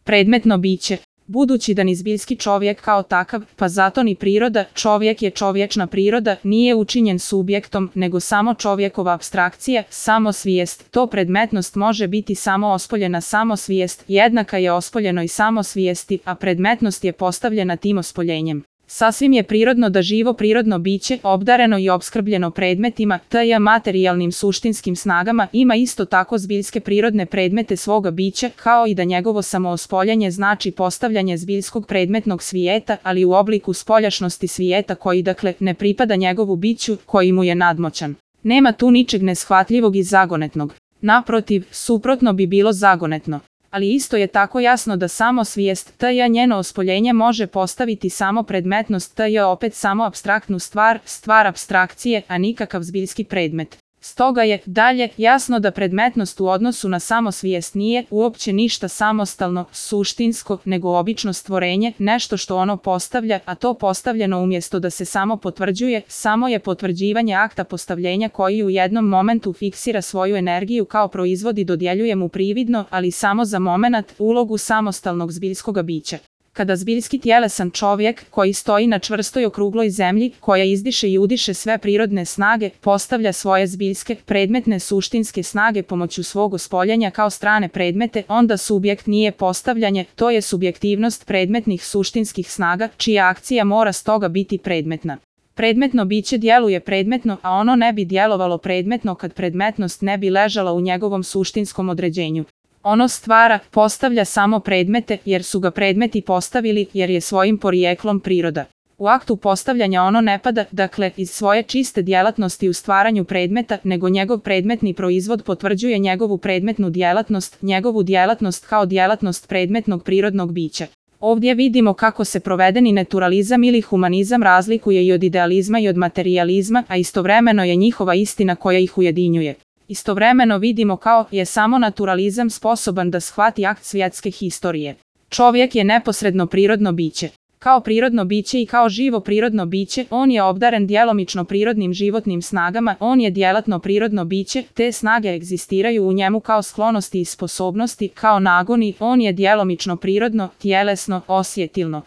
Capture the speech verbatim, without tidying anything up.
Predmetno biće. Budući da ni zbiljski čovjek kao takav, pa zato ni priroda, čovjek je čovječna priroda, nije učinjen subjektom, nego samo čovjekova apstrakcija, samosvijest. To predmetnost može biti samo ospoljena samosvijest, jednaka je ospoljenoj samosvijesti, a predmetnost je postavljena tim ospoljenjem. Sasvim je prirodno da živo prirodno biće, obdareno i opskrbljeno predmetima, tj. materijalnim suštinskim snagama, ima isto tako zbiljske prirodne predmete svoga bića, kao i da njegovo samoospoljanje znači postavljanje zbiljskog predmetnog svijeta, ali u obliku spoljašnosti svijeta koji dakle ne pripada njegovu biću, koji mu je nadmoćan. Nema tu ničeg neshvatljivog i zagonetnog. Naprotiv, suprotno bi bilo zagonetno. Ali isto je tako jasno da samo svijest, tj. njeno ospoljenje može postaviti samo predmetnost, tj. opet samo apstraktnu stvar, stvar apstrakcije, a nikakav zbiljski predmet. Stoga je, dalje, jasno da predmetnost u odnosu na samosvijest nije uopće ništa samostalno, suštinsko, nego obično stvorenje, nešto što ono postavlja, a to postavljeno umjesto da se samo potvrđuje, samo je potvrđivanje akta postavljenja koji u jednom momentu fiksira svoju energiju kao proizvod i dodjeljuje mu prividno, ali samo za momenat, ulogu samostalnog zbiljskoga bića. Kada zbiljski tjelesan čovjek, koji stoji na čvrstoj okrugloj zemlji, koja izdiše i udiše sve prirodne snage, postavlja svoje zbiljske, predmetne suštinske snage pomoću svog ospoljenja kao strane predmete, onda subjekt nije postavljanje, to je subjektivnost predmetnih suštinskih snaga, čija akcija mora stoga biti predmetna. Predmetno biće djeluje predmetno, a ono ne bi djelovalo predmetno kad predmetnost ne bi ležala u njegovom suštinskom određenju. Ono stvara, postavlja samo predmete, jer su ga predmeti postavili, jer je svojim porijeklom priroda. U aktu postavljanja ono ne pada, dakle, iz svoje čiste djelatnosti u stvaranju predmeta, nego njegov predmetni proizvod potvrđuje njegovu predmetnu djelatnost, njegovu djelatnost kao djelatnost predmetnog prirodnog bića. Ovdje vidimo kako se provedeni naturalizam ili humanizam razlikuje i od idealizma i od materijalizma, a istovremeno je njihova istina koja ih ujedinjuje. Istovremeno vidimo kao je samo naturalizam sposoban da shvati akt svjetske historije. Čovjek je neposredno prirodno biće. Kao prirodno biće i kao živo prirodno biće, on je obdaren djelomično prirodnim životnim snagama, on je djelatno prirodno biće, te snage egzistiraju u njemu kao sklonosti i sposobnosti, kao nagoni, on je djelomično prirodno, tjelesno, osjetilno.